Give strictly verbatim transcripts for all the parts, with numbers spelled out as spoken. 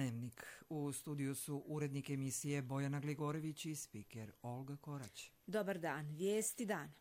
Dnevnik. U studiju su urednik emisije Bojana Gligorević i spiker Olga Korać. Dobar dan, vijesti dana.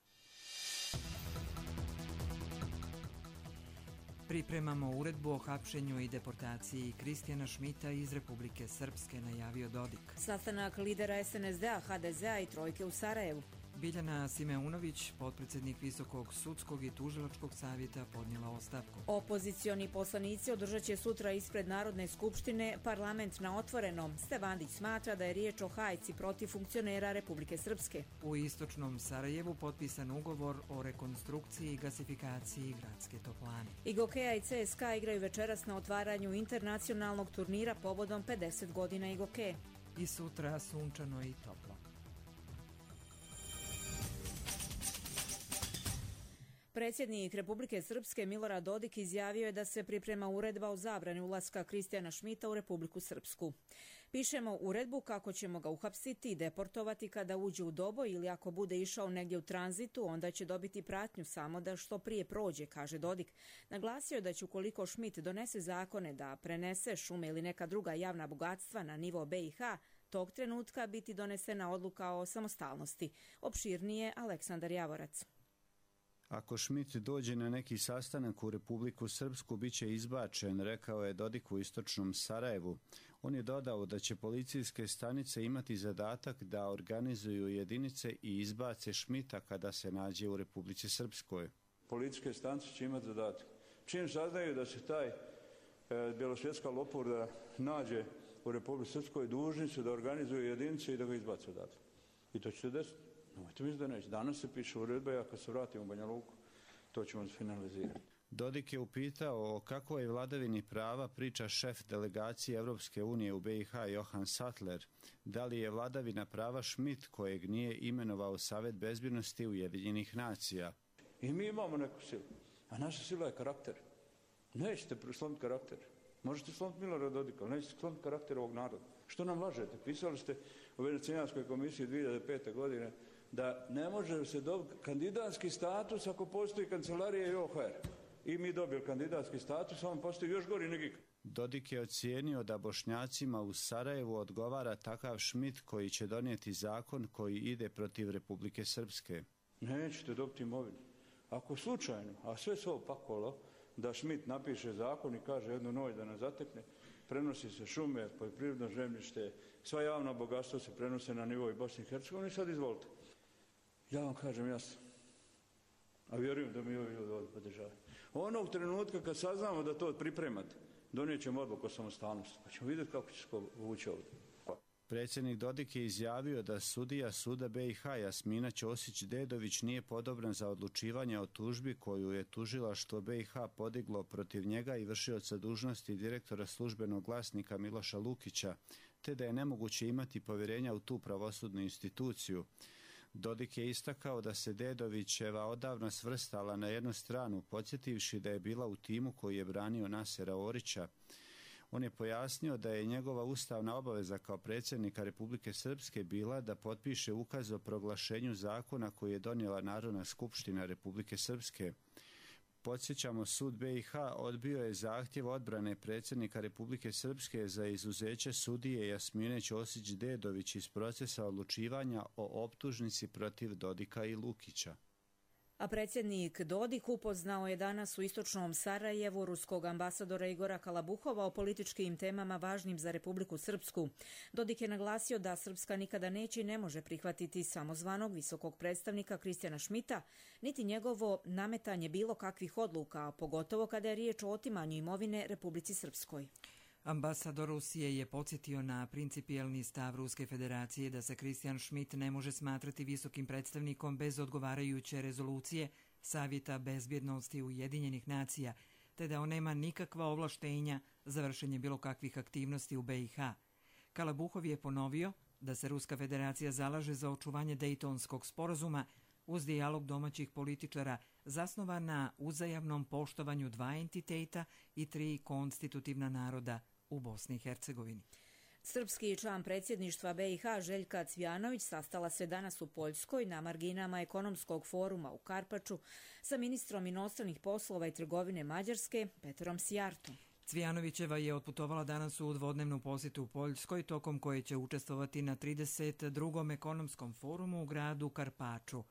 Pripremamo uredbu o hapšenju i deportaciji Kristijana Šmita iz Republike Srpske, najavio Dodik. Sastanak lidera es en es de a, ha de ze a i Trojke u Sarajevu. Biljana Simeunović, potpredsjednik Visokog sudskog i tužilačkog savjeta, podnijela ostavku. Opozicioni poslanici održat će sutra ispred Narodne skupštine parlament na otvorenom. Stevandić smatra da je riječ o hajci protiv funkcionera Republike Srpske. U istočnom Sarajevu potpisan ugovor o rekonstrukciji i gasifikaciji gradske toplane. I Gokeja i ce es ka igraju večeras na otvaranju internacionalnog turnira povodom pedeset godina Igoke. I sutra sunčano i toplo. Predsjednik Republike Srpske Milorad Dodik izjavio je da se priprema uredba o zabrani ulaska Kristijana Šmita u Republiku Srpsku. Pišemo uredbu kako ćemo ga uhapsiti i deportovati kada uđe u Doboj ili ako bude išao negdje u tranzitu, onda će dobiti pratnju samo da što prije prođe, kaže Dodik. Naglasio je da će ukoliko Šmit donese zakone da prenese šume ili neka druga javna bogatstva na nivo be i ha, tog trenutka biti donesena odluka o samostalnosti. Opširnije Aleksandar Javorac. Ako Šmit dođe na neki sastanak u Republiku Srpsku, bit će izbačen, rekao je Dodik u istočnom Sarajevu. On je dodao da će policijske stanice imati zadatak da organizuju jedinice i izbace Šmita kada se nađe u Republici Srpskoj. Policijske stanice će imati zadatak. Čim saznaju da se taj e, bjelosvjetska lopurda nađe u Republici Srpskoj, dužni su da organizuju jedinice i da ga izbace odatle. I to će se desiti. Nemojte misliti da neće. Danas se piše uredba, a kad se vratimo u Banja Luku, to ćemo finalizirati. Dodik je upitao o kakvoj vladavini prava priča šef delegacije Evropske unije u be i ha Johan Sattler. Da li je vladavina prava Šmit, kojeg nije imenovao Savet bezbjednosti Ujedinjenih nacija? I mi imamo neku silu, a naša sila je karakter. Nećete slomiti karakter. Možete slomiti Milorada Dodika, ali nećete slomiti karakter ovog naroda. Što nam lažete? Pisali ste u Venecijanskoj komisiji dvije hiljade pete. godine da ne može se dobiti kandidatski status ako postoji kancelarija i o ha er. I mi dobili kandidatski status, a on postoji još gori nego ikad. Dodik je ocijenio da Bošnjacima u Sarajevu odgovara takav Šmit koji će donijeti zakon koji ide protiv Republike Srpske. Nećete dobiti imovinu. Ako slučajno, a sve se opakolo, da Šmit napiše zakon i kaže jednu noć da nas zatekne, prenosi se šume, poljoprivredno zemljište, sva javna bogatstva se prenose na nivou Bosne i Hercegovine i sad izvolite. Ja vam kažem jasno, a vjerujem da mi ovi ljudi ovdje podržavaju. Onog trenutka kad saznamo da to pripremate, donijet ćemo odluku o samostalnosti, pa ćemo vidjeti kako će se povući ovdje. Predsjednik Dodik je izjavio da sudija suda be i ha Jasmina Ćosić-Dedović nije podobran za odlučivanje o tužbi koju je tužilaštvo be i ha podiglo protiv njega i vršioca dužnosti direktora službenog glasnika Miloša Lukića, te da je nemoguće imati povjerenja u tu pravosudnu instituciju. Dodik je istakao da se Dedovićeva odavno svrstala na jednu stranu, podsjetivši da je bila u timu koji je branio Nasera Orića. On je pojasnio da je njegova ustavna obaveza kao predsjednika Republike Srpske bila da potpiše ukaz o proglašenju zakona koji je donijela Narodna skupština Republike Srpske. Podsjećamo, sud be i ha odbio je zahtjev odbrane predsjednika Republike Srpske za izuzeće sudije Jasmine Ćosić-Dedović iz procesa odlučivanja o optužnici protiv Dodika i Lukića. A predsjednik Dodik upoznao je danas u istočnom Sarajevu ruskog ambasadora Igora Kalabuhova o političkim temama važnim za Republiku Srpsku. Dodik je naglasio da Srpska nikada neće i ne može prihvatiti samozvanog visokog predstavnika Kristijana Šmita, niti njegovo nametanje bilo kakvih odluka, pogotovo kada je riječ o otimanju imovine Republici Srpskoj. Ambasador Rusije je podsjetio na principijelni stav Ruske federacije da se Kristijan Šmit ne može smatrati visokim predstavnikom bez odgovarajuće rezolucije Savjeta bezbjednosti Ujedinjenih nacija, te da on nema nikakva ovlaštenja za vršenje bilo kakvih aktivnosti u be i ha. Kalabuhov je ponovio da se Ruska federacija zalaže za očuvanje Dejtonskog sporazuma uz dijalog domaćih političara zasnovan na uzajamnom poštovanju dva entiteta i tri konstitutivna naroda u Bosni i Hercegovini. Srpski član predsjedništva be i ha Željka Cvjanović sastala se danas u Poljskoj na marginama ekonomskog foruma u Karpaču sa ministrom inostranih poslova i trgovine Mađarske Petrom Sijartom. Cvijanovićeva je otputovala danas u dvodnevnu posjetu u Poljskoj, tokom koje će učestvovati na trideset drugom ekonomskom forumu u gradu Karpaču.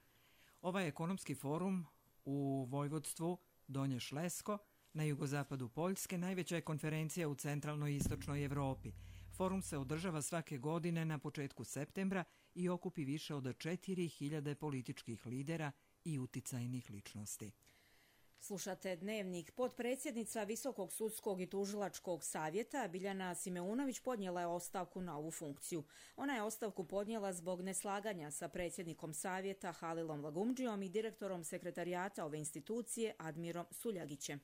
Ovaj ekonomski forum u vojvodstvu Donje Šlesko na jugozapadu Poljske najveća je konferencija u centralnoj i istočnoj Evropi. Forum se održava svake godine na početku septembra i okupi više od četiri hiljade političkih lidera i uticajnih ličnosti. Slušate Dnevnik. Potpredsjednica Visokog sudskog i tužilačkog savjeta Biljana Simeunović podnijela je ostavku na ovu funkciju. Ona je ostavku podnijela zbog neslaganja sa predsjednikom savjeta Halilom Lagumdžijom i direktorom sekretarijata ove institucije Admirom Suljagićem.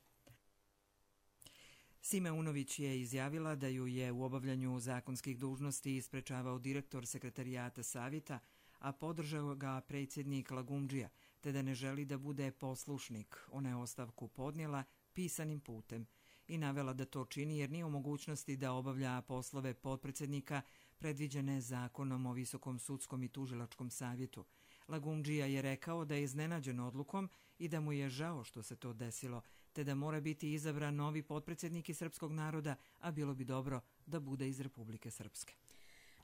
Simeunović je izjavila da ju je u obavljanju zakonskih dužnosti isprečavao direktor sekretarijata savjeta, a podržao ga predsjednik Lagumdžija, te da ne želi da bude poslušnik. Ona je ostavku podnijela pisanim putem i navela da to čini jer nije u mogućnosti da obavlja poslove potpredsjednika predviđene zakonom o Visokom sudskom i tužilačkom savjetu. Lagumdžija je rekao da je iznenađen odlukom i da mu je žao što se to desilo, te da mora biti izabran novi potpredsjednik iz srpskog naroda, a bilo bi dobro da bude iz Republike Srpske.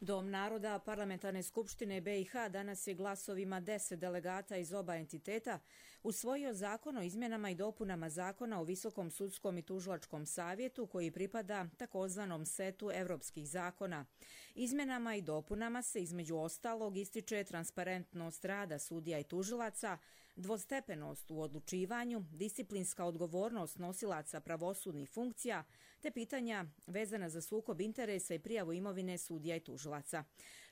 Dom naroda Parlamentarne skupštine be i ha danas je glasovima deset delegata iz oba entiteta usvojio zakon o izmjenama i dopunama zakona o Visokom sudskom i tužilačkom savjetu koji pripada takozvanom setu evropskih zakona. Izmjenama i dopunama se između ostalog ističe transparentnost rada sudija i tužilaca, dvostepenost u odlučivanju, disciplinska odgovornost nosilaca pravosudnih funkcija, te pitanja vezana za sukob interesa i prijavu imovine sudija i tužilaca.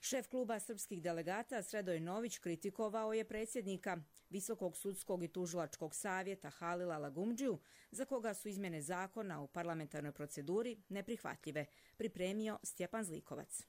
Šef kluba srpskih delegata Sredoje Nović kritikovao je predsjednika Visokog sudskog i tužilačkog savjeta Halila Lagumdžiju, za koga su izmjene zakona u parlamentarnoj proceduri neprihvatljive, pripremio Stjepan Zlikovac.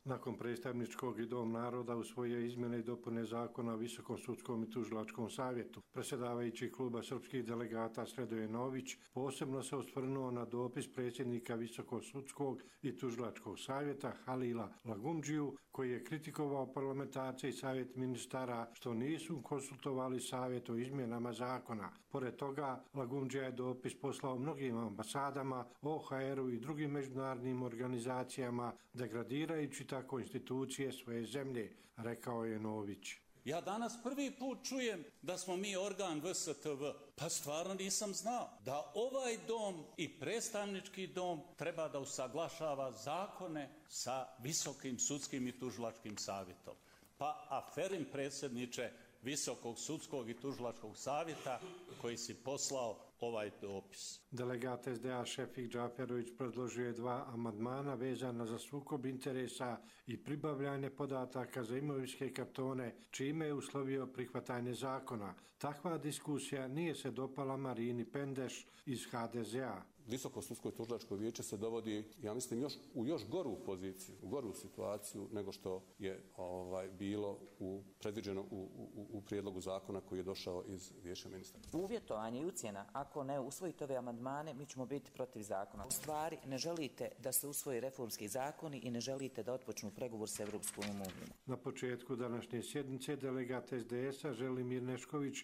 Nakon predstavničkog i Dom naroda usvojio izmjene i dopune zakona o Visokom sudskom i tužilačkom savjetu. Predsjedavajući kluba srpskih delegata Sredoje Nović posebno se osvrnuo na dopis predsjednika Visokog sudskog i tužilačkog savjeta Halila Lagumdžiju, koji je kritikovao parlamentarce i savjet ministara što nisu konsultovali savjet o izmjenama zakona. Pored toga, Lagumdžija je dopis poslao mnogim ambasadama, o ha eru i drugim međunarodnim organizacijama, degradirajući tako institucije svoje zemlje, rekao je Nović. Ja danas prvi put čujem da smo mi organ ve es te ve. Pa stvarno nisam znao da ovaj dom i predstavnički dom treba da usaglašava zakone sa Visokim sudskim i tužilačkim savjetom. Pa aferim predsjedniče Visokog sudskog i tužilačkog savjeta koji si poslao ovaj dopis. Delegat es de a Šefik Džaferović predložio je dva amandmana vezana za sukob interesa i pribavljanje podataka za imovinske kartone, čime je uslovio prihvatanje zakona. Takva diskusija nije se dopala Marini Pendeš iz ha de ze a. Visoko sudsko i tužilačko vijeće se dovodi, ja mislim, još, u još goru poziciju, u goru situaciju nego što je ovaj, bilo u, predviđeno u, u, u prijedlogu zakona koji je došao iz vijeća ministra. Uvjetovanje i ucjena, ako ne usvojite ove amandmane, mi ćemo biti protiv zakona. U stvari, ne želite da se usvoji reformski zakoni i ne želite da otpočnu pregovor sa Evropskom unijom. Na početku današnje sjednice delegat es de es a Želimir Nešković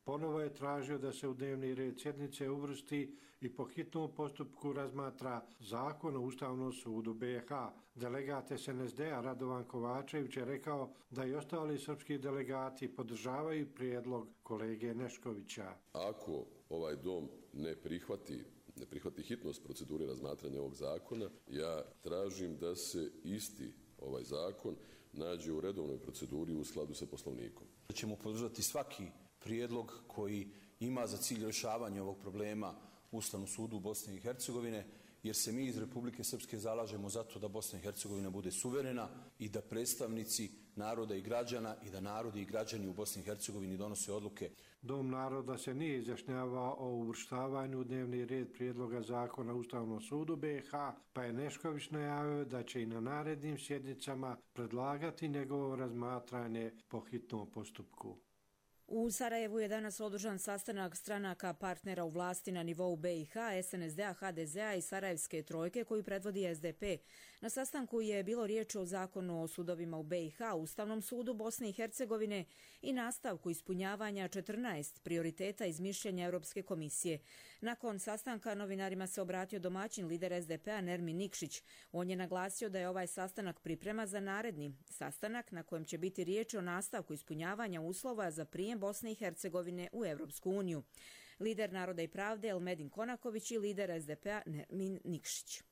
ponovo je tražio da se u dnevni red sjednice uvrsti i po hitnom postupku razmatra zakon o Ustavnom sudu be i ha. Delegat es en es de a Radovan Kovačević je rekao da i ostali srpski delegati podržavaju prijedlog kolege Neškovića. Ako ovaj dom ne prihvati ne prihvati hitnost procedure razmatranja ovog zakona, ja tražim da se isti ovaj zakon nađe u redovnoj proceduri u skladu sa Poslovnikom. Da ćemo podržati svaki prijedlog koji ima za cilj rješavanje ovog problema u Ustavnom sudu Bosne i Hercegovine, jer se mi iz Republike Srpske zalažemo za to da Bosna i Hercegovina bude suverena i da predstavnici naroda i građana i da narodi i građani u Bosni i Hercegovini donose odluke. Dom naroda se nije izjašnjavao o uvrštavanju u dnevni red prijedloga zakona o Ustavnom sudu be i ha, pa je Nešković najavio da će i na narednim sjednicama predlagati njegovo razmatranje po hitnom postupku. U Sarajevu je danas održan sastanak stranaka partnera u vlasti na nivou be i ha, es en es de a, ha de ze a i Sarajevske trojke koju predvodi es de pe. Na sastanku je bilo riječ o zakonu o sudovima u be i ha, Ustavnom sudu Bosne i Hercegovine i nastavku ispunjavanja četrnaest prioriteta iz mišljenja Europske komisije. Nakon sastanka novinarima se obratio domaćin lider es de pe a Nermin Nikšić. On je naglasio da je ovaj sastanak priprema za naredni sastanak na kojem će biti riječ o nastavku ispunjavanja uslova za prijem Bosne i Hercegovine u Europsku uniju. Lider Naroda i pravde Elmedin Konaković i lider es de pe a Nermin Nikšić.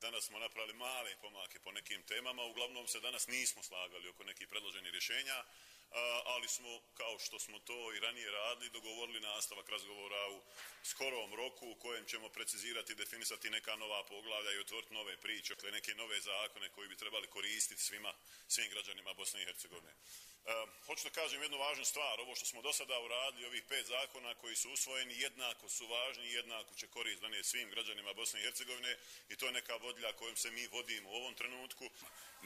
Danas smo napravili male pomake po nekim temama, uglavnom se danas nismo slagali oko nekih predloženih rješenja, ali smo, kao što smo to i ranije radili, dogovorili nastavak razgovora u skorom roku u kojem ćemo precizirati i definisati neka nova poglavlja i otvoriti nove priče, neke nove zakone koji bi trebali koristiti svima, svim građanima Bosne i Hercegovine. E, hoću da kažem jednu važnu stvar, ovo što smo do sada uradili, ovih pet zakona koji su usvojeni, jednako su važni i jednako će korist donijeti svim građanima Bosne i Hercegovine i to je neka vodilja kojom se mi vodimo u ovom trenutku.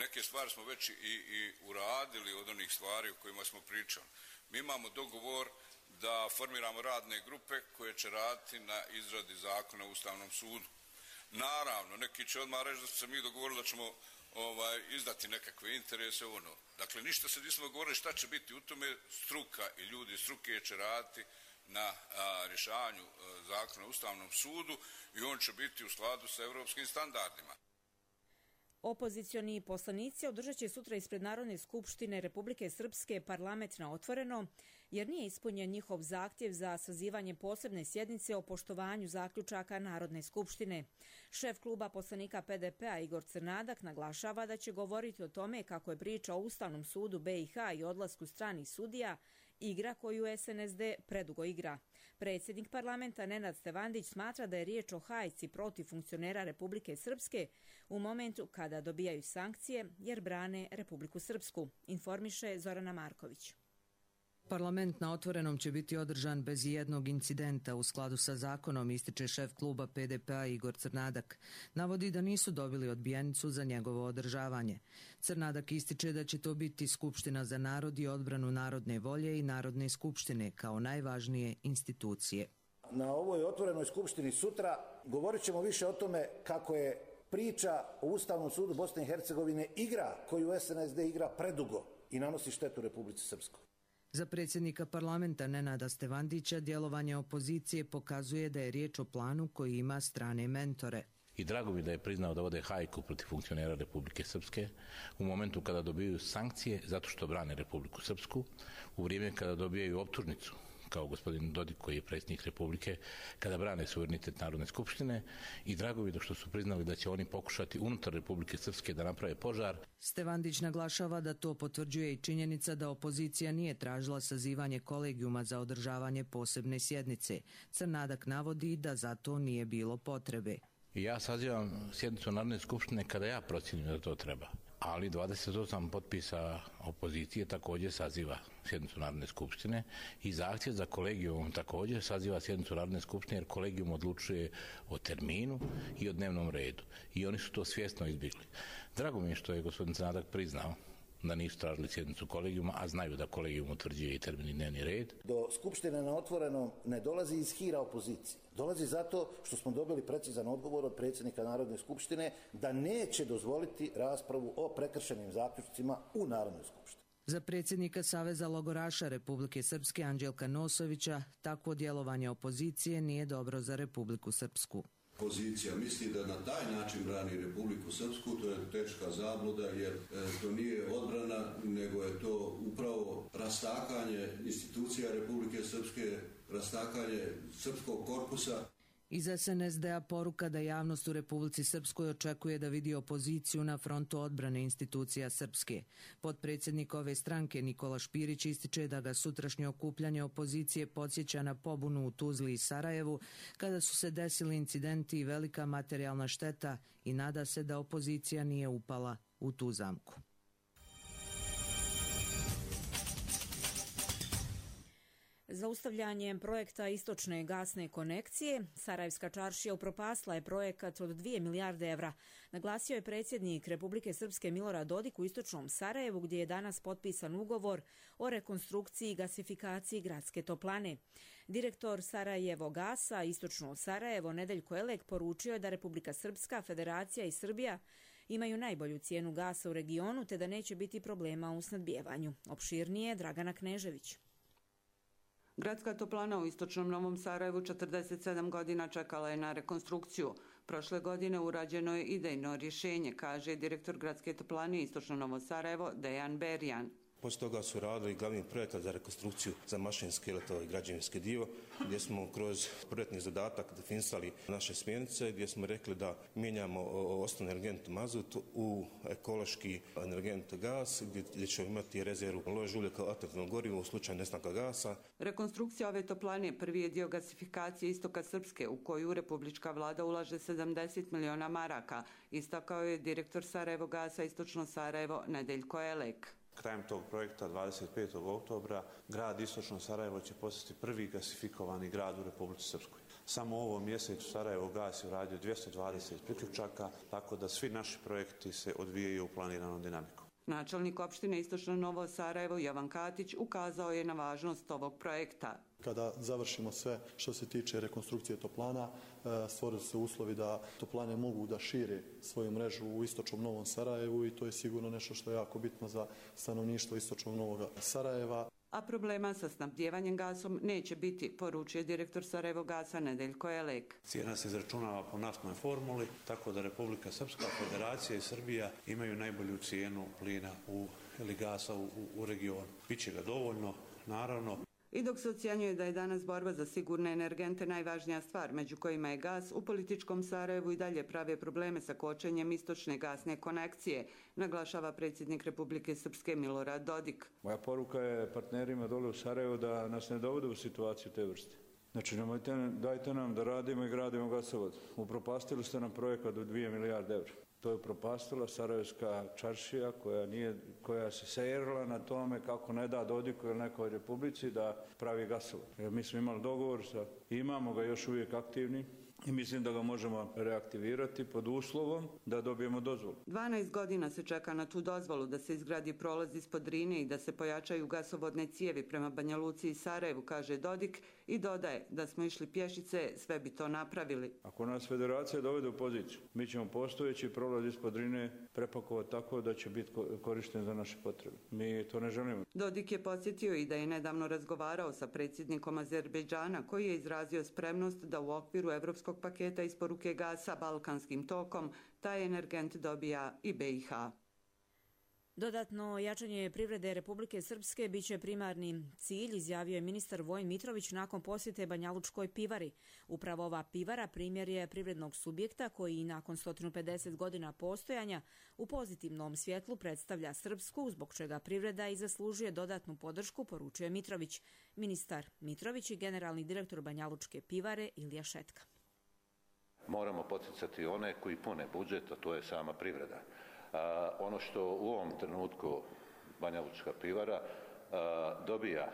Neke stvari smo već i, i uradili od onih stvari o kojima smo pričali. Mi imamo dogovor da formiramo radne grupe koje će raditi na izradi zakona u Ustavnom sudu. Naravno, neki će odmah reći da smo se mi dogovorili da ćemo ovaj, izdati nekakve interese, ono. Dakle, ništa se nismo dogovorili šta će biti u tome, struka i ljudi struke će raditi na a, rješavanju a, zakona u Ustavnom sudu i on će biti u skladu sa europskim standardima. Opozicioni poslanici održat će sutra ispred Narodne skupštine Republike Srpske parlament na otvoreno, jer nije ispunjen njihov zahtjev za sazivanje posebne sjednice o poštovanju zaključaka Narodne skupštine. Šef kluba poslanika pe de pe a Igor Crnadak naglašava da će govoriti o tome kako je priča o Ustavnom sudu be i ha i odlasku stranih sudija igra koju es en es de predugo igra. Predsjednik parlamenta Nenad Stevandić smatra da je riječ o hajci protiv funkcionera Republike Srpske u momentu kada dobijaju sankcije jer brane Republiku Srpsku, informiše Zorana Marković. Parlament na otvorenom će biti održan bez jednog incidenta u skladu sa zakonom, ističe šef kluba pe de pe a Igor Crnadak. Navodi da nisu dobili odbijenicu za njegovo održavanje. Crnadak ističe da će to biti Skupština za narod i odbranu narodne volje i Narodne skupštine kao najvažnije institucije. Na ovoj otvorenoj skupštini sutra govorit ćemo više o tome kako je priča o Ustavnom sudu Bosne i Hercegovine igra koju es en es de igra predugo i nanosi štetu Republici Srpskoj. Za predsjednika parlamenta Nenada Stevandića djelovanje opozicije pokazuje da je riječ o planu koji ima strane mentore. I drago mi da je priznao da vode hajku protiv funkcionera Republike Srpske u momentu kada dobijaju sankcije zato što brane Republiku Srpsku, u vrijeme kada dobijaju optužnicu kao gospodin Dodik koji je predsjednik Republike, kada brane suverenitet Narodne skupštine i drago mi da što su priznali da će oni pokušati unutar Republike Srpske da naprave požar. Stevandić naglašava da to potvrđuje i činjenica da opozicija nije tražila sazivanje kolegijuma za održavanje posebne sjednice. Crnadak navodi da za to nije bilo potrebe. I ja sazivam sjednicu Narodne skupštine kada ja procjenim da to treba. Ali dvadeset osam potpisa opozicije također saziva sjednicu Narodne skupštine i zahtjev za kolegijum također saziva sjednicu Narodne skupštine jer kolegijum odlučuje o terminu i o dnevnom redu. I oni su to svjesno izbjegli. Drago mi je što je gospodin Crnadak priznao da nisu tražili sjednicu kolegijuma, a znaju da kolegijum utvrđuje i termin i dnevni red. Do Skupštine na otvorenom ne dolazi iz hira opozicije. Dolazi zato što smo dobili precizan odgovor od predsjednika Narodne skupštine da neće dozvoliti raspravu o prekršenim zaključcima u Narodnoj skupštini. Za predsjednika Saveza logoraša Republike Srpske Anđelka Nosovića takvo djelovanje opozicije nije dobro za Republiku Srpsku. Pozicija misli da na taj način brani Republiku Srpsku, to je teška zabluda jer e, to nije odbrana, nego je to upravo rastakanje institucija Republike Srpske, rastakanje srpskog korpusa. Iz es en es de a poruka da javnost u Republici Srpskoj očekuje da vidi opoziciju na frontu odbrane institucija Srpske. Potpredsjednik ove stranke Nikola Špirić ističe da ga sutrašnje okupljanje opozicije podsjeća na pobunu u Tuzli i Sarajevu kada su se desili incidenti i velika materijalna šteta i nada se da opozicija nije upala u tu zamku. Zaustavljanjem projekta istočne gasne konekcije, Sarajevska čaršija upropastila je projekat od dvije milijarde evra. Naglasio je predsjednik Republike Srpske Milorad Dodik u istočnom Sarajevu, gdje je danas potpisan ugovor o rekonstrukciji i gasifikaciji gradske toplane. Direktor Sarajevo gasa istočno Sarajevo Nedeljko Elek poručio je da Republika Srpska, Federacija i Srbija imaju najbolju cijenu gasa u regionu te da neće biti problema u snadbijevanju. Opširnije Dragana Knežević. Gradska toplana u istočnom Novom Sarajevu četrdeset sedam godina čekala je na rekonstrukciju. Prošle godine urađeno je idejno rješenje, kaže direktor Gradske toplane istočno Novo Sarajevo Dejan Berjan. Poslije toga su radili glavni projekat za rekonstrukciju za mašinski i građevinski dio, gdje smo kroz projektni zadatak definisali naše smjernice, gdje smo rekli da mijenjamo osnovni energent mazut u ekološki energent gas, gdje ćemo imati rezervu lož ulja kao alternativno gorivo u slučaju nestanka gasa. Rekonstrukcija ove toplane prvi je dio gasifikacije istoka Srpske, u koju republička vlada ulaže sedamdeset miliona maraka, istakao je direktor Sarajevo gasa istočno Sarajevo Nedeljko Elek. Krajem tog projekta dvadeset petog oktobra grad Istočno Sarajevo će postati prvi gasifikovani grad u Republici Srpskoj. Samo u ovom mjesecu Sarajevo gas je uradio dvjesto dvadeset priključaka, tako da svi naši projekti se odvijaju u planiranom dinamikom. Načelnik opštine Istočno Novo Sarajevo Jovan Katić ukazao je na važnost ovog projekta. Kada završimo sve što se tiče rekonstrukcije toplana, stvorili se uslovi da toplane mogu da šire svoju mrežu u istočnom Novom Sarajevu i to je sigurno nešto što je jako bitno za stanovništvo istočnog Novog Sarajeva. A problema sa snabdjevanjem gasom neće biti, poručio direktor Sarajevo gasa Nedeljko Elek. Cijena se izračunava po naftnoj formuli, tako da Republika Srpska, Federacija i Srbija imaju najbolju cijenu plina u, ili gasa u, u regionu. Biće ga dovoljno, naravno. I dok se ocjenjuje da je danas borba za sigurne energente najvažnija stvar, među kojima je gas, u političkom Sarajevu i dalje prave probleme sa kočenjem istočne gasne konekcije, naglašava predsjednik Republike Srpske Milorad Dodik. Moja poruka je partnerima dole u Sarajevu da nas ne dovode u situaciju te vrste. Znači, nemojte, dajte nam da radimo i gradimo gasovod. Upropastili ste nam projekat od dvije milijarde evra. To je upropastila Sarajevska čaršija koja, nije, koja se sejerila na tome kako ne da Dodiku ili nekoj republici da pravi gasovod. Jer mi smo imali dogovor sa, imamo ga još uvijek aktivni i mislim da ga možemo reaktivirati pod uslovom da dobijemo dozvolu. dvanaest godina se čeka na tu dozvolu da se izgradi prolaz ispod Drine i da se pojačaju gasovodne cijevi prema Banja Luci i Sarajevu, kaže Dodik i dodaje da smo išli pješice, sve bi to napravili. Ako nas Federacija dovede u poziciju, mi ćemo postojeći prolaz ispod Drine prepakovati tako da će biti korišten za naše potrebe. Mi to ne želimo. Dodik je podsjetio i da je nedavno razgovarao sa predsjednikom Azerbejdžana koji je izrazio spremnost da u okviru evropskog paketa isporuke gasa Balkanskim tokom taj energent dobija i B i H. Dodatno jačanje privrede Republike Srpske biće primarni cilj, izjavio je ministar Vojin Mitrović nakon posjete Banjalučkoj pivari. Upravo ova pivara primjer je privrednog subjekta koji nakon sto pedeset godina postojanja u pozitivnom svjetlu predstavlja Srpsku, zbog čega privreda i zaslužuje dodatnu podršku, poručuje Mitrović. Ministar Mitrović i generalni direktor Banjalučke pivare Ilija Šetka. Moramo poticati one koji pune budžet, a to je sama privreda. A, ono što u ovom trenutku Banjalučka pivara a, dobija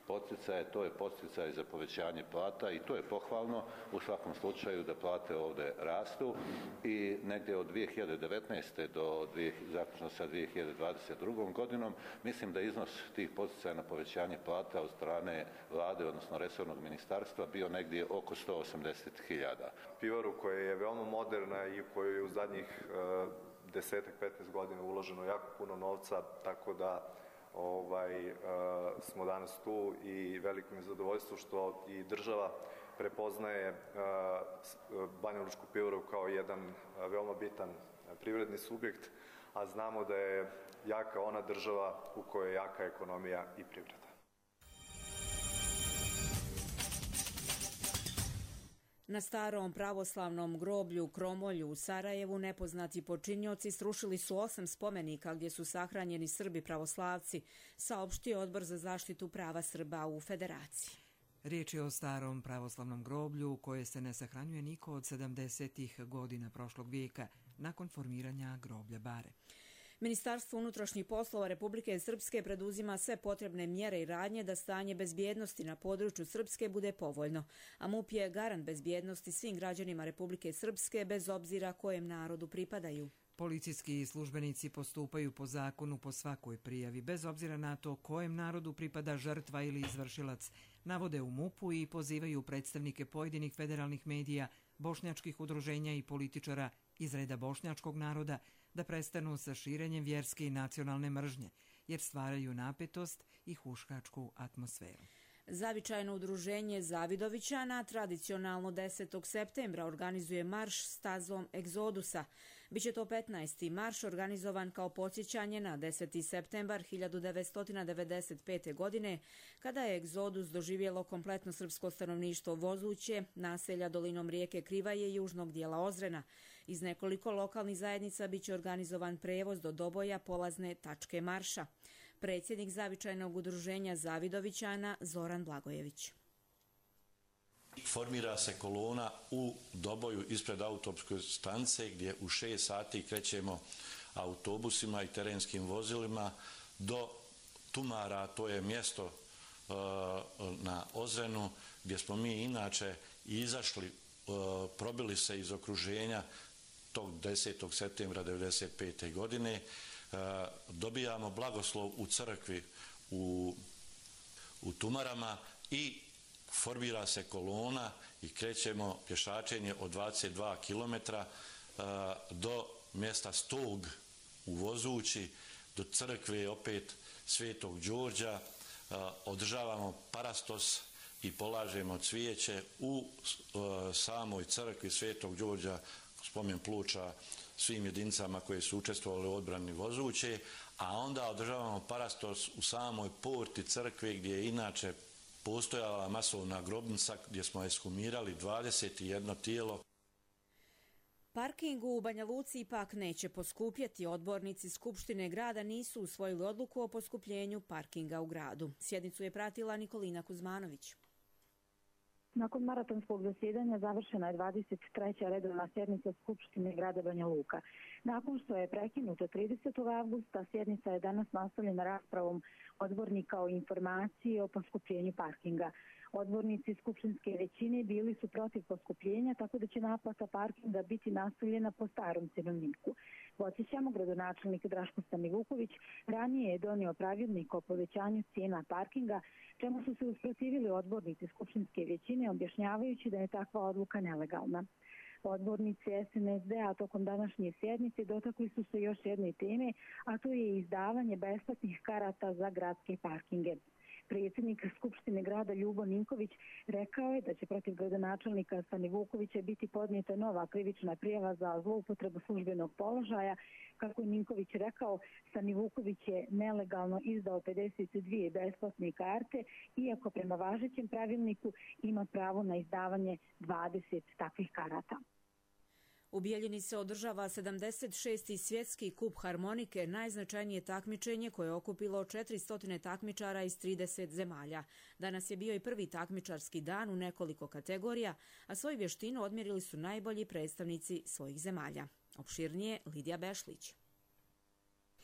poticaje, to je poticaj za povećanje plata i to je pohvalno u svakom slučaju da plate ovdje rastu i negdje od dvije hiljade devetnaeste do zaključno sa dvije hiljade dvadeset drugom godinom mislim da iznos tih poticaja na povećanje plata od strane vlade, odnosno resornog ministarstva bio negdje oko sto osamdeset hiljada. Pivaru koja je veoma moderna i u kojoj je u zadnjih uh, desetak, petnaest godina uloženo jako puno novca, tako da ovaj, uh, smo danas tu i veliko mi je zadovoljstvo što i država prepoznaje uh, Banjalučku pivaru kao jedan uh, veoma bitan privredni subjekt, a znamo da je jaka ona država u kojoj je jaka ekonomija i privreda. Na starom pravoslavnom groblju Kromolju u Sarajevu nepoznati počinioci srušili su osam spomenika gdje su sahranjeni Srbi pravoslavci, saopštio Odbor za zaštitu prava Srba u Federaciji. Riječ je o starom pravoslavnom groblju u koje se ne sahranjuje niko od sedamdesetih godina prošlog vijeka nakon formiranja groblja Bare. Ministarstvo unutrašnjih poslova Republike Srpske preduzima sve potrebne mjere i radnje da stanje bezbjednosti na području Srpske bude povoljno, a MUP je garant bezbjednosti svim građanima Republike Srpske bez obzira kojem narodu pripadaju. Policijski službenici postupaju po zakonu po svakoj prijavi, bez obzira na to kojem narodu pripada žrtva ili izvršilac, navode u MUP-u i pozivaju predstavnike pojedinih federalnih medija, bošnjačkih udruženja i političara iz reda bošnjačkog naroda da prestanu sa širenjem vjerske i nacionalne mržnje, jer stvaraju napetost i huškačku atmosferu. Zavičajno udruženje Zavidovićana tradicionalno desetog septembra organizuje marš stazom egzodusa. Biće to petnaesti marš organizovan kao podsjećanje na deseti septembar hiljadu devetsto devedeset pete. godine, kada je egzodus doživjelo kompletno srpsko stanovništvo Vozuće, naselja dolinom rijeke Krivaje i južnog dijela Ozrena. Iz nekoliko lokalnih zajednica biće organizovan prevoz do Doboja, polazne tačke marša. Predsjednik Zavičajnog udruženja Zavidovićana Zoran Blagojević. Formira se kolona u Doboju ispred autobuske stanice gdje u šest sati krećemo autobusima i terenskim vozilima do Tumara, to je mjesto uh, na Ozrenu gdje smo mi inače izašli, uh, probili se iz okruženja tog desetog septembra devedeset pete. godine. Uh, dobijamo blagoslov u crkvi u, u Tumarama i formira se kolona i krećemo pješačenje od dvadeset dva kilometra uh, do mjesta Stog u Vozući, do crkve opet Svetog Đorđa, uh, održavamo parastos i polažemo cvijeće u uh, samoj crkvi Svetog Đorđa, spomen ploča svim jedinicama koje su učestvovali u odbrani Vozuće, a onda održavamo parastos u samoj porti crkve gdje je inače postojala masovna grobnica gdje smo ekshumirali dvadeset jedno tijelo. Parking u Banja Luci ipak neće poskupjeti. Odbornici Skupštine grada nisu usvojili odluku o poskupljenju parkinga u gradu. Sjednicu je pratila Nikolina Kuzmanović. Nakon maratonskog zasjedanja završena je dvadeset treća redovna sjednica Skupštine grada Banja Luka. Nakon što je prekinuta tridesetog avgusta, sjednica je danas nastavljena raspravom odbornika o informaciji o poskupljenju parkinga. Odbornici skupštinske većine bili su protiv poskupljenja, tako da će naplata parkinga biti nastavljena po starom cenovniku. Podsjećamo, gradonačelnik Draško Stanivuković ranije je donio pravilnik o povećanju cijena parkinga, čemu su se usprotivili odbornici skupštinske većine, objašnjavajući da je takva odluka nelegalna. Odbornici es en es de a tokom današnje sjednice dotakli su se još jedne teme, a to je izdavanje besplatnih karata za gradske parkinge. Predsjednik Skupštine grada Ljubo Ninković rekao je da će protiv gradonačelnika Stanivukovića biti podnijeta nova krivična prijava za zloupotrebu službenog položaja. Kako je Ninković rekao, Stanivuković je nelegalno izdao pedeset dvije besplatne karte, iako prema važećem pravilniku ima pravo na izdavanje dvadeset takvih karata. U Bijeljini se održava sedamdeset šesti svjetski kup harmonike, najznačajnije takmičenje koje je okupilo četiristo takmičara iz trideset zemalja. Danas je bio i prvi takmičarski dan u nekoliko kategorija, a svoju vještinu odmjerili su najbolji predstavnici svojih zemalja. Opširnije Lidija Bešlić.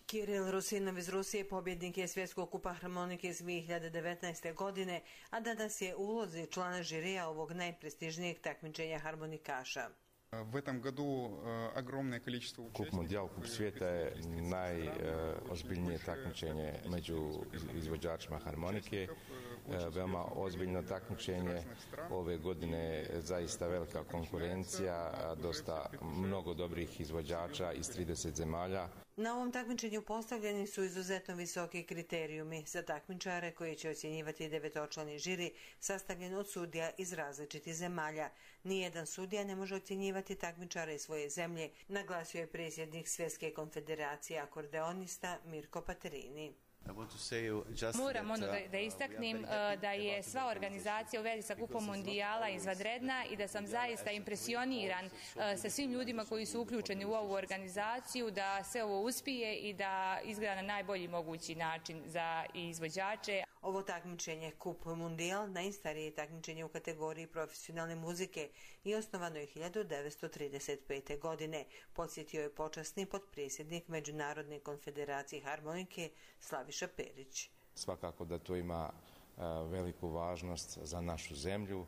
Kiril Rusinov iz Rusije pobjednik je svjetskog kupa harmonike iz dvije hiljade devetnaeste. godine, a danas je u ulozi člana žirija ovog najprestižnijeg takmičenja harmonikaša. Kup Mundijal, Kup svijeta je najozbiljnije takmičenje među izvođačima harmonike. Veoma ozbiljno takmičenje. Ove godine zaista velika konkurencija, dosta mnogo dobrih izvođača iz trideset zemalja. Na ovom takmičenju postavljeni su izuzetno visoki kriterijumi za takmičare koji će ocjenjivati devetočlani žiri sastavljen od sudija iz različitih zemalja. Nijedan sudija ne može ocjenjivati takmičare iz svoje zemlje, naglasio je predsjednik Svjetske konfederacije akordeonista Mirko Paterini. Moram ono da, da istaknem da je sva organizacija u vezi sa kupom Mundijala izvanredna i da sam zaista impresioniran sa svim ljudima koji su uključeni u ovu organizaciju, da sve ovo uspije i da izgleda na najbolji mogući način za izvođače. Ovo takmičenje Kup Mundijal najstarije takmičenje u kategoriji profesionalne muzike i osnovano je hiljadu devetsto trideset pete. godine. Podsjetio je počasni potpredsjednik Međunarodne konfederacije harmonike Slaviša Perić. Svakako da to ima uh, veliku važnost za našu zemlju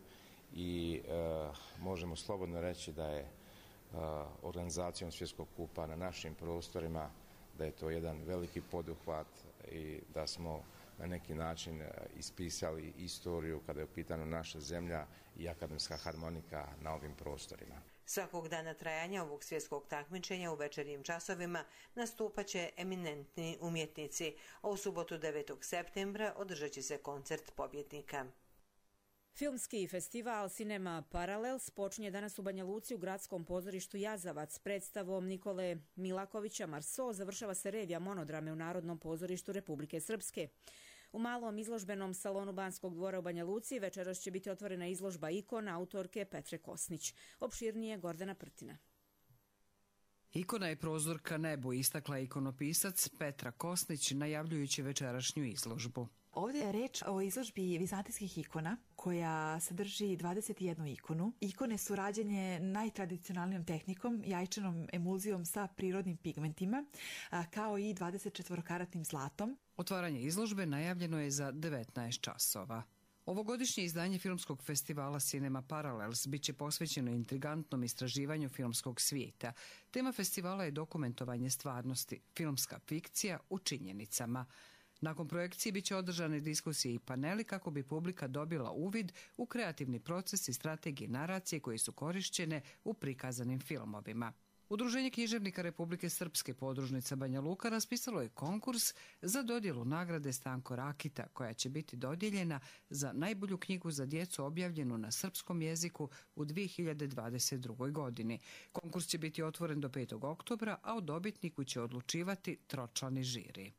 i uh, možemo slobodno reći da je uh, organizacijom svjetskog kupa na našim prostorima, da je to jedan veliki poduhvat i da smo na neki način ispisali istoriju kada je u pitanju naša zemlja i akademska harmonika na ovim prostorima. Svakog dana trajanja ovog svjetskog takmičenja u večernjim časovima nastupat će eminentni umjetnici, a u subotu devetog septembra održat će se koncert pobjednika. Filmski festival Cinema Parallels počinje danas u Banja Luci u gradskom pozorištu Jazavac. Predstavom Nikole Milakovića Marso završava se revija monodrame u Narodnom pozorištu Republike Srpske. U malom izložbenom salonu Banskog dvora u Banja Luci večeras će biti otvorena izložba ikona autorke Petre Kosnić. Opširnije Gordana Prtina. Ikona je prozor ka nebu, istakla ikonopisac Petra Kosnić najavljujući večerašnju izložbu. Ovdje je reč o izložbi vizantijskih ikona koja sadrži dvadeset jednu ikonu. Ikone su rađene najtradicionalnijom tehnikom, jajčanom emulzijom sa prirodnim pigmentima, kao i dvadeset četiri karatnim zlatom. Otvaranje izložbe najavljeno je za devetnaest časova. Ovogodišnje izdanje filmskog festivala Cinema Parallels bit će posvećeno intrigantnom istraživanju filmskog svijeta. Tema festivala je dokumentovanje stvarnosti, filmska fikcija u činjenicama. Nakon projekcije bit će održane diskusije i paneli kako bi publika dobila uvid u kreativni proces i strategije naracije koje su korišćene u prikazanim filmovima. Udruženje književnika Republike Srpske podružnica Banja Luka raspisalo je konkurs za dodjelu nagrade Stanko Rakita, koja će biti dodijeljena za najbolju knjigu za djecu objavljenu na srpskom jeziku u dvije hiljade dvadeset drugoj. godini. Konkurs će biti otvoren do petog oktobra, a o dobitniku će odlučivati tročlani žiri.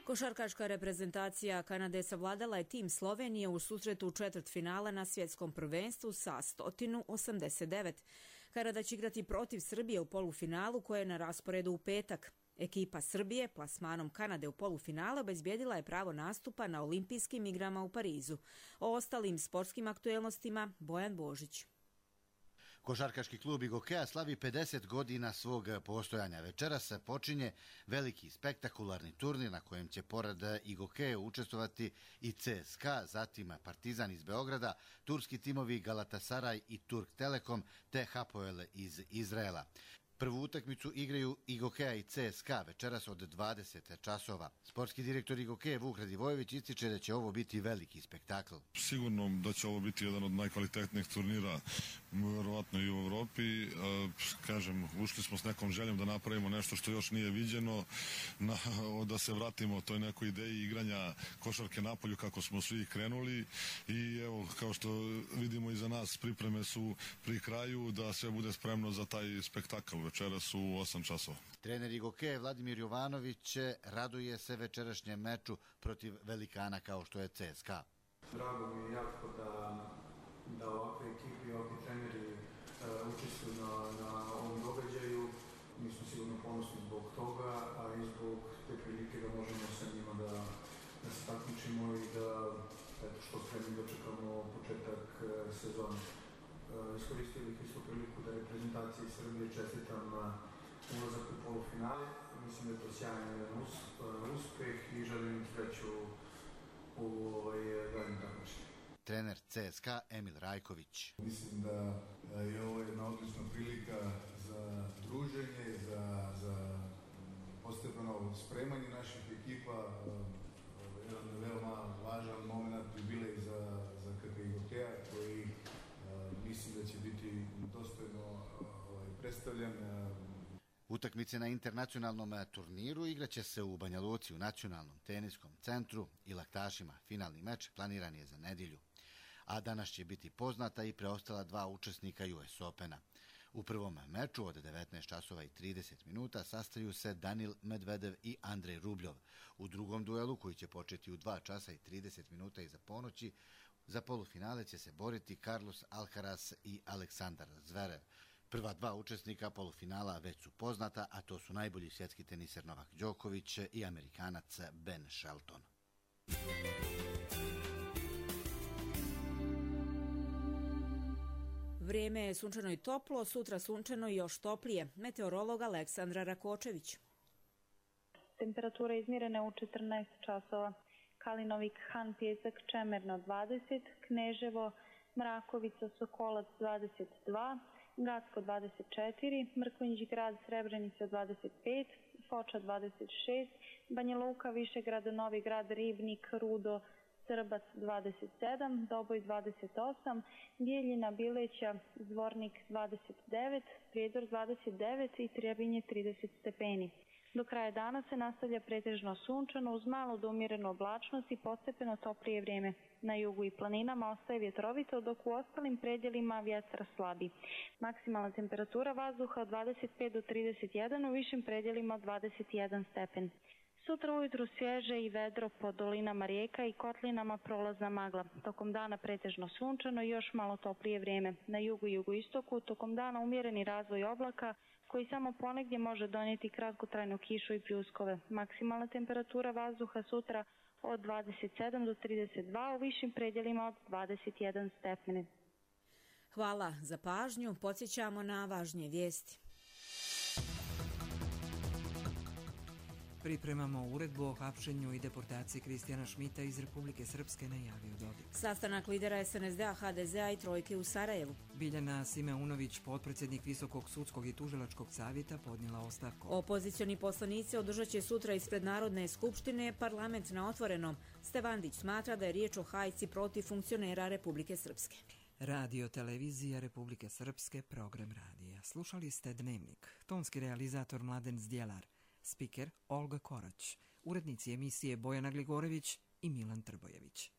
Košarkaška reprezentacija Kanade savladala je tim Slovenije u susretu četvrtfinala na svjetskom prvenstvu sa sto osamdeset devet. Kanada će igrati protiv Srbije u polufinalu koje je na rasporedu u petak. Ekipa Srbije plasmanom Kanade u polufinale obezbijedila je pravo nastupa na olimpijskim igrama u Parizu. O ostalim sportskim aktuelnostima Bojan Božić. Košarkaški klub Igokeja slavi pedeset godina svog postojanja. Večeras se počinje veliki spektakularni turnir na kojem će pored Igokeja učestvovati i C S K A, zatim Partizan iz Beograda, turski timovi Galatasaray i Turk Telekom te Hapoel iz Izraela. Prvu utakmicu igraju Igokeja i C S K A večeras od dvadeset časova. Sportski direktor Igokeja Vuk Radivojević ističe da će ovo biti veliki spektakl. Sigurno da će ovo biti jedan od najkvalitetnijih turnira vjerovatno i u Evropi. Kažem, ušli smo s nekom željom da napravimo nešto što još nije viđeno, na, da se vratimo toj nekoj ideji igranja košarke napolju kako smo svi krenuli i evo, kao što vidimo iza nas, pripreme su pri kraju da sve bude spremno za taj spektakl večeras u osam časova. Trener Igokeja Vladimir Jovanović raduje se večerašnjem meču protiv velikana kao što je C S K A. Drago mi je jako da, da ovakve ekipi i ovakvi treneri uh, učestvuju na, na ovom događaju. Mi smo sigurno ponosni zbog toga, a i zbog te prilike da možemo sa njima da, da se takmičimo i da eto, što spremni dočekamo početak uh, sezone. Uh, iskoristio bih isto priliku da reprezentaciji Srbije čestitam uh, ulazak u polufinale. Mislim da je to sjajan jedan us, uh, uspeh i želim im sreću u ovaj daljnjem takmičenju. Trener C S K A Emil Rajković. Mislim da je ovo jedna odlična prilika za druženje, za, za postepeno spremanje naših ekipa, jedan veoma važan moment jubilej za, za K P Igokeja koji mislim da će biti dostojno ovaj, predstavljen. Utakmice na internacionalnom turniru igraće se u Banja Luci u nacionalnom teniskom centru i laktašima. Finalni meč planiran je za nedjelju. A danas će biti poznata i preostala dva učesnika U S Opena. U prvom meču od devetnaest časova i trideset minuta sastaju se Danil Medvedev i Andrej Rubljov. U drugom duelu, koji će početi u dva časa i trideset minuta iza ponoći, za polufinale će se boriti Carlos Alcaraz i Aleksandar Zverev. Prva dva učesnika polufinala već su poznata, a to su najbolji svjetski teniser Novak Đoković i Amerikanac Ben Shelton. Vrijeme je sunčano i toplo, sutra sunčano i još toplije. Meteorolog Aleksandra Rakočević. Temperatura izmjerena u četrnaest časova. Kalinovik, Han, Pjesak, Čemerno dvadeset, Kneževo, Mrakovica, Sokolac dvadeset dva, Gacko dvadeset četiri, Mrkonjić grad, Srebrenica dvadeset pet, Foča dvadeset šest, Banja Luka, Višegrad, Novi grad, Ribnik, Rudo, Srbac dvadeset sedam, Doboj dvadeset osam, Bijeljina, Bileća, Zvornik dvadeset devet, Prijedor dvadeset devet i Trebinje trideset stepeni. Do kraja dana se nastavlja pretežno sunčano uz malu do umjerenu oblačnost i postepeno toplije vrijeme. Na jugu i planinama ostaje vjetrovito, dok u ostalim predjelima vjetar slabi. Maksimalna temperatura vazduha od dvadeset pet do trideset jedan, u višim predjelima od dvadeset jedan stepen. Sutra ujutru svježe i vedro po dolinama rijeka i kotlinama prolazna magla. Tokom dana pretežno sunčano i još malo toplije vrijeme. Na jugu i jugoistoku tokom dana umjereni razvoj oblaka koji samo ponegdje može donijeti kratkotrajnu kišu i pljuskove. Maksimalna temperatura vazduha sutra od dvadeset sedam do trideset dva, u višim predjelima od dvadeset jedan stepeni. Hvala za pažnju. Podsjećamo na važnije vijesti. Pripremamo uredbu o hapšenju i deportaciji Kristijana Šmita iz Republike Srpske, najavio Dodik. Sastanak lidera S N S D-a, H D Z-a i Trojke u Sarajevu. Biljana Simeunović, potpredsjednik Visokog sudskog i tužilačkog savjeta, podnijela ostavku. Opozicioni poslanici održat će sutra ispred Narodne skupštine parlament na otvorenom. Stevandić smatra da je riječ o hajci protiv funkcionera Republike Srpske. Radio televizija Republike Srpske, program radija. Slušali ste Dnevnik. Tonski realizator Mladen Zdjelar. Spiker Olga Korać, urednici emisije Bojana Gligorević i Milan Trbojević.